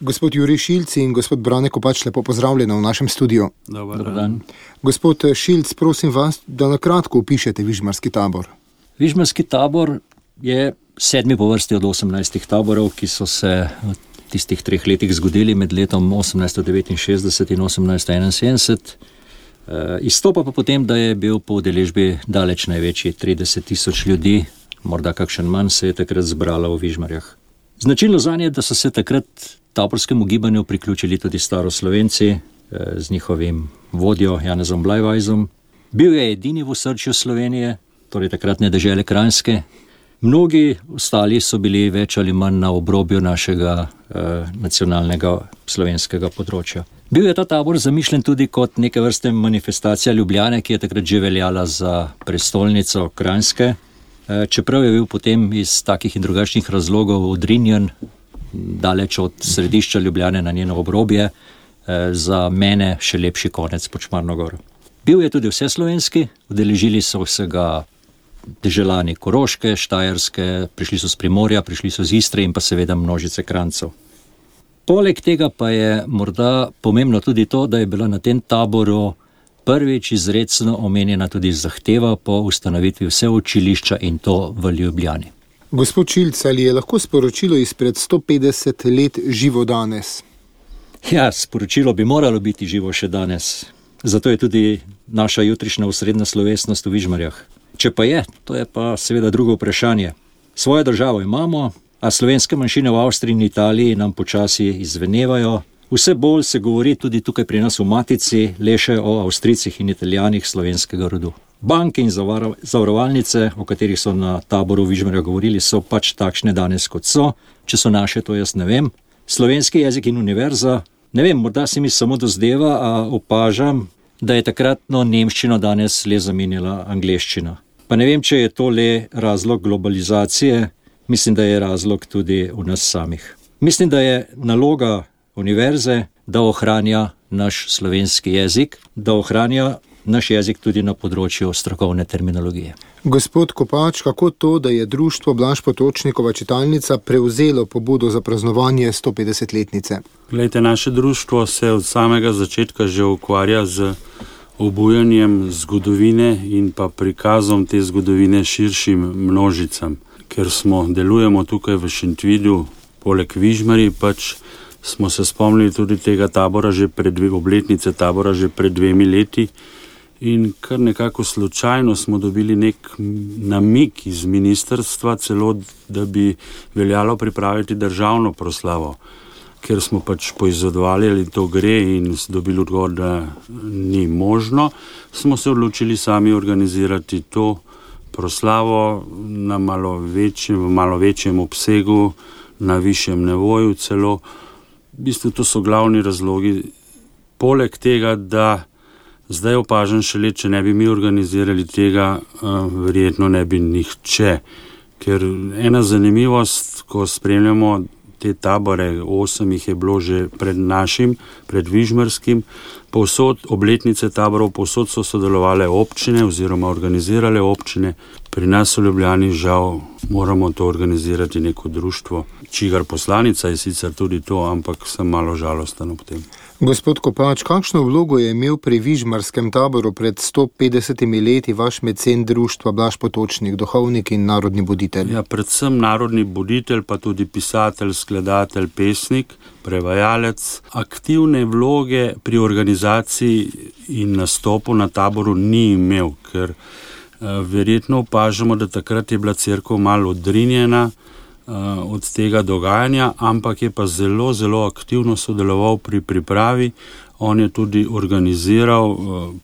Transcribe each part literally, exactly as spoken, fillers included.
Gospod Jurij Šilc in gospod Brane Kopač, lepo pozdravljeno v našem studiu. Dobar dan. Gospod Šilc, prosim vas, da na kratko opišete Vižmarski tabor. Vižmarski tabor je sedmi po vrsti od osemnajstih taborov, ki so se v tistih treh letih zgodili med letom osemnajststo devetinšestdeset in osemnajststo enainsedemdeset. E, izstopa pa potem, da je bil po udeležbi daleč največji, trideset tisoč ljudi, morda kakšen manj, se je takrat zbralo v Vižmarjah. Značilno zanje je, da so se takrat taborskemu gibanju priključili tudi staroslovenci e, z njihovim vodjo Janezom Blajvajzom. Bil je edini v osrčju Slovenije, torej takratne dežele Kranjske. Mnogi ostali so bili več ali manj na obrobju našega eh, nacionalnega slovenskega področja. Bil je ta tabor zamišljen tudi kot neke vrste manifestacija Ljubljane, ki je takrat že veljala za prestolnico Kranjske, eh, čeprav je bil potem iz takih in drugačnih razlogov odrinjen daleč od središča Ljubljane na njeno obrobje, eh, za mene še lepši konec pod Šmarno goro. Bil je tudi vseslovenski, udeležili so se ga deželani Koroške, Štajerske, prišli so z Primorja, prišli so z Istre in pa seveda množice Kranjcev. Poleg tega pa je morda pomembno tudi to, da je bila na tem taboru prvič izrecno omenjena tudi zahteva po ustanovitvi vse učilišča in to v Ljubljani. Gospod Šilc, ali je lahko sporočilo izpred sto petdeset let živo danes? Ja, sporočilo bi moralo biti živo še danes. Zato je tudi naša jutrišnja osrednja slovesnost v Vižmarjah. Če pa je, to je pa seveda drugo vprašanje. Svojo državo imamo, a slovenske manjšine v Avstriji in Italiji nam počasi izvenevajo. Vse bolj se govori tudi tukaj pri nas v Matici le še o Avstrijcih in Italijanih slovenskega rodu. Banke in zavarovalnice, o katerih so na taboru v Vižmarjah govorili, so pač takšne danes kot so. Če so naše, to jaz ne vem. Slovenski jezik in univerza, ne vem, morda se mi samo dozdeva, a opažam, da je takratno nemščino danes le zamenjala angleščina. Pa ne vem, če je to le razlog globalizacije, mislim, da je razlog tudi v nas samih. Mislim, da je naloga univerze, da ohranja naš slovenski jezik, da ohranja naš jezik tudi na področju strokovne terminologije. Gospod Kopač, kako to, da je društvo Blaž Potočnikova čitalnica prevzelo pobudo za praznovanje sto petdesetletnice? Glejte, naše društvo se od samega začetka že ukvarja z obujanjem zgodovine in pa prikazom te zgodovine širšim množicam. Ker smo delujemo tukaj v Šentvidu, poleg Vižmarji, pač smo se spomnili tudi tega tabora že pred dve, obletnice tabora že pred dvemi leti in kar nekako slučajno smo dobili nek namig iz ministrstva celo, da bi veljalo pripraviti državno proslavo. Ker smo pač poizvedovali, ali to gre in dobili odgovor, da ni možno, smo se odločili sami organizirati to proslavo na malo večjem, v malo večjem obsegu, na višjem nivoju celo. V bistvu to so glavni razlogi. Poleg tega, da zdaj opažam šele, če ne bi mi organizirali tega, verjetno ne bi nihče. Ker ena zanimivost, ko spremljamo te tabore, osem jih je bilo že pred našim, pred Vižmarskim, povsod obletnice taborov, povsod so sodelovale občine oziroma organizirale občine. Pri nas v Ljubljani žal moramo to organizirati neko društvo, čigar poslanica je sicer tudi to, ampak sem malo žalosten ob tem. Gospod Kopač, kakšno vlogo je imel pri Vižmarskem taboru pred sto petdesetimi leti vaš mecen društva Blaž Potočnik, duhovnik in narodni buditelj? Ja, predvsem narodni buditelj, pa tudi pisatelj, skladatelj, pesnik, prevajalec. Aktivne vloge pri organizaciji in nastopu na taboru ni imel, ker uh, verjetno opažamo, da takrat je bila cerkev malo odrinjena od tega dogajanja, ampak je pa zelo, zelo aktivno sodeloval pri pripravi. On je tudi organiziral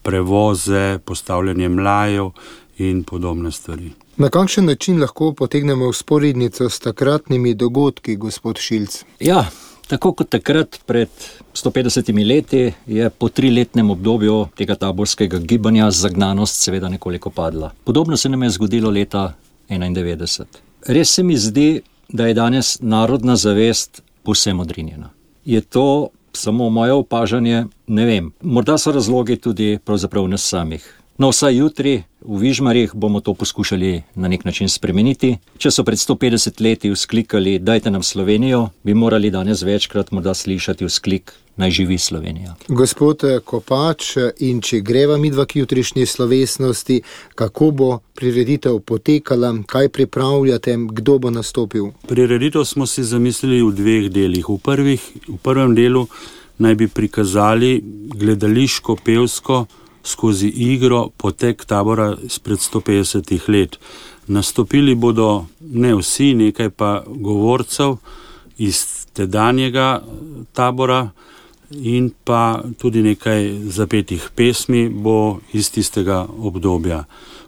prevoze, postavljanje mlajev in podobne stvari. Na kakšen način lahko potegnemo vzporednico s takratnimi dogodki, gospod Šilc? Ja, tako kot takrat pred sto petdesetimi leti je po triletnem obdobju tega taborskega gibanja zagnanost seveda nekoliko padla. Podobno se nam je zgodilo leta enaindevetdeset. Res se mi zdi, da je danes narodna zavest povsem odrinjena. Je to samo moje opažanje? Ne vem. Morda so razlogi tudi pravzaprav nas samih. No, vsaj jutri v Vižmarjih bomo to poskušali na nek način spremeniti. Če so pred sto petdeset leti vzklikali, dajte nam Slovenijo, bi morali danes večkrat morda slišati vzklik, naj živi Slovenija. Gospod Kopač, in če greva midva k jutrišnji slovesnosti, kako bo prireditev potekala, kaj pripravljate, kdo bo nastopil? Prireditev smo si zamislili v dveh delih. V, prvih, v prvem delu naj bi prikazali gledališko-pevsko skozi igro potek tabora izpred sto petdesetih let. Nastopili bodo ne vsi, nekaj pa govorcev iz tedanjega tabora in pa tudi nekaj zapetih pesmi bo iz tistega obdobja.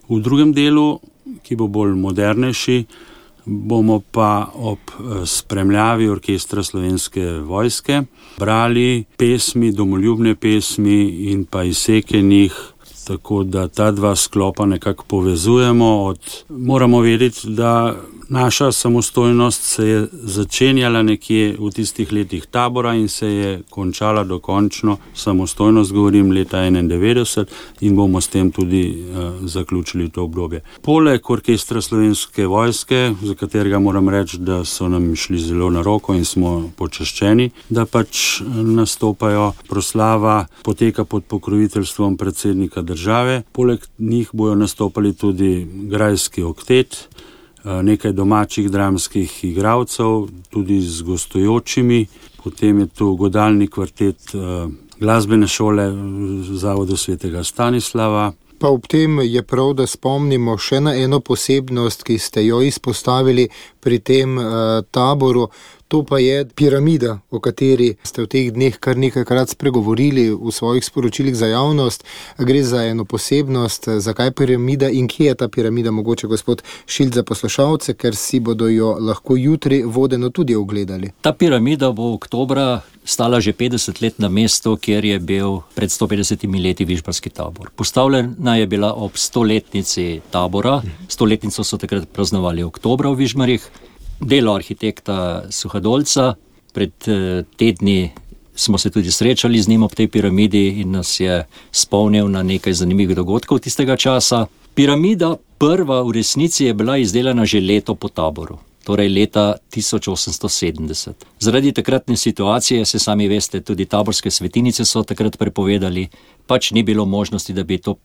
V drugem delu, ki bo bolj modernejši, bomo pa ob spremljavi orkestra Slovenske vojske brali pesmi, domoljubne pesmi in pa izseke njih, tako da ta dva sklopa nekako povezujemo. Od... Moramo vedeti, da naša samostojnost se je začenjala nekje v tistih letih tabora in se je končala dokončno samostojnost, govorim leta enaindevetdeset, in bomo s tem tudi uh, zaključili to obdobje. Poleg orkestra Slovenske vojske, za katerega moram reči, da so nam šli zelo na roko in smo počaščeni, da pač nastopajo, proslava poteka pod pokroviteljstvom predsednika države. Poleg njih bojo nastopali tudi grajski oktet, nekaj domačih dramskih igralcev, tudi z gostujočimi, potem je tu godalni kvartet glasbene šole Zavodu svetega Stanislava. Pa ob tem je prav, da spomnimo še na eno posebnost, ki ste jo izpostavili pri tem uh, taboru. To pa je piramida, o kateri ste v teh dneh kar nekajkrat spregovorili v svojih sporočilih za javnost. Gre za eno posebnost, zakaj piramida in kje je ta piramida, mogoče gospod Šilc za poslušalce, ker si bodo jo lahko jutri vodeno tudi ogledali. Ta piramida bo oktobra stala že petdeset let na mestu, kjer je bil pred sto petdesetimi leti Vižmarski tabor. Postavljena je bila ob stoletnici tabora, stoletnico so takrat praznovali oktobra v Vižmarjih. Delo arhitekta Suhadolca, pred tedni smo se tudi srečali z njim ob tej piramidi in nas je spomnil na nekaj zanimivih dogodkov tistega časa. Piramida prva v resnici je bila izdelana že leto po taboru, torej leta tisoč osemsto sedemdeset. Zaradi takratne situacije, se sami veste, tudi taborske svetinice so takrat prepovedali, pač ni bilo možnosti, da bi to,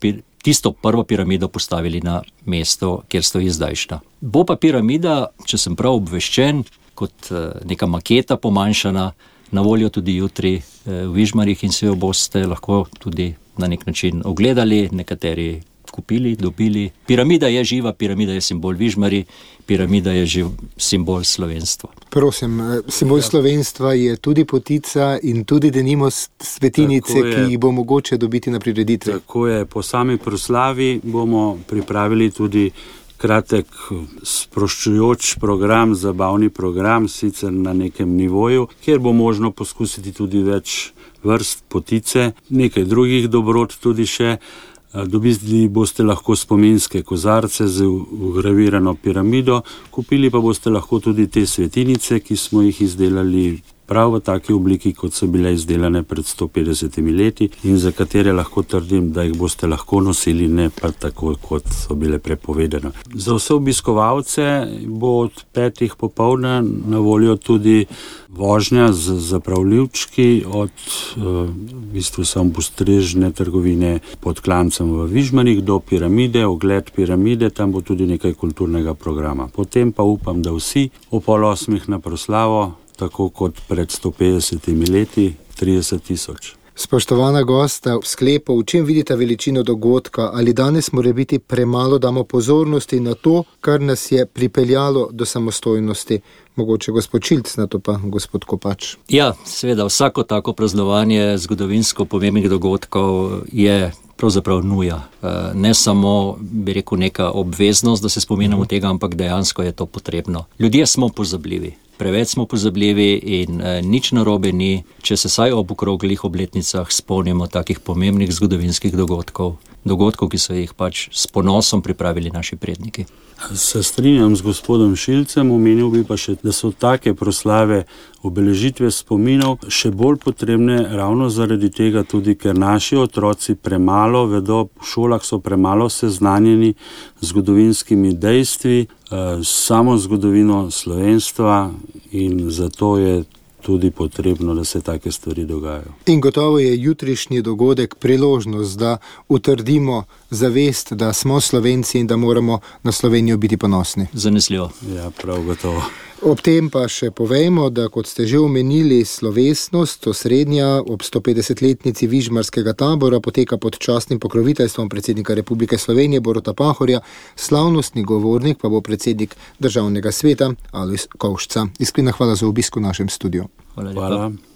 tisto prvo piramido postavili na mesto, kjer stoji zdajšnja. Bo pa piramida, če sem prav obveščen, kot neka maketa pomanjšana, na voljo tudi jutri v Vižmarjih in se jo boste lahko tudi na nek način ogledali, nekateri kupili, dobili. Piramida je živa, piramida je simbol Vižmarji, piramida je živ simbol slovenstva. Prosim, simbol ja. slovenstva je tudi potica in tudi denimo svetinice, ki jih bo mogoče dobiti na prireditvi. Tako je, po sami proslavi bomo pripravili tudi kratek sproščujoč program, zabavni program, sicer na nekem nivoju, kjer bo možno poskusiti tudi več vrst potice, nekaj drugih dobrot tudi še. Dobili boste lahko spominske kozarce z vgravirano piramido, kupili pa boste lahko tudi te svetinice, ki smo jih izdelali prav v taki obliki, kot so bile izdelane pred sto petdesetimi leti in za katere lahko trdim, da jih boste lahko nosili, ne pa tako, kot so bile prepovedane. Za vse obiskovalce bo od petih popoldne na voljo tudi vožnja z zapravljivčki od v bistvu samopostrežne trgovine pod Klancem v Vižmarjih do piramide, ogled piramide, tam bo tudi nekaj kulturnega programa. Potem pa upam, da vsi o pol osmih na proslavo, tako kot pred sto petdesetimi leti, trideset tisoč. Spoštovana gosta, v sklepu, v čem vidite veličino dogodka, ali danes mora biti premalo damo pozornosti na to, kar nas je pripeljalo do samostojnosti? Mogoče gospod Šilc, na to pa gospod Kopač. Ja, seveda, vsako tako praznovanje zgodovinsko pomembnih dogodkov je pravzaprav nuja. Ne samo, bi rekel, neka obveznost, da se spominjamo tega, ampak dejansko je to potrebno. Ljudje smo pozabljivi. Preveč smo pozabljivi in eh, nič narobe ni, če se saj ob okroglih obletnicah spomnimo takih pomembnih zgodovinskih dogodkov. dogodkov, ki so jih pač s ponosom pripravili naši predniki. Se strinjam z gospodom Šilcem, omenil bi pa še, da so take proslave obeležitve spominov še bolj potrebne ravno zaradi tega tudi, ker naši otroci premalo vedo, v šolah so premalo seznanjeni z zgodovinskimi dejstvi, samo zgodovino slovenstva, in zato je tudi potrebno, da se take stvari dogajajo. In gotovo je jutrišnji dogodek priložnost, da utrdimo zavest, da smo Slovenci in da moramo na Slovenijo biti ponosni. Zanesljivo. Ja, prav gotovo. Ob tem pa še povejmo, da kot ste že omenili, slovesnost osrednja ob stopetdesetletnici Vižmarskega tabora poteka pod častnim pokroviteljstvom predsednika Republike Slovenije Boruta Pahorja, slavnostni govornik pa bo predsednik Državnega sveta Alojz Kovšca. Iskrena hvala za obisk v našem studiu. Hvala lepa. Hvala.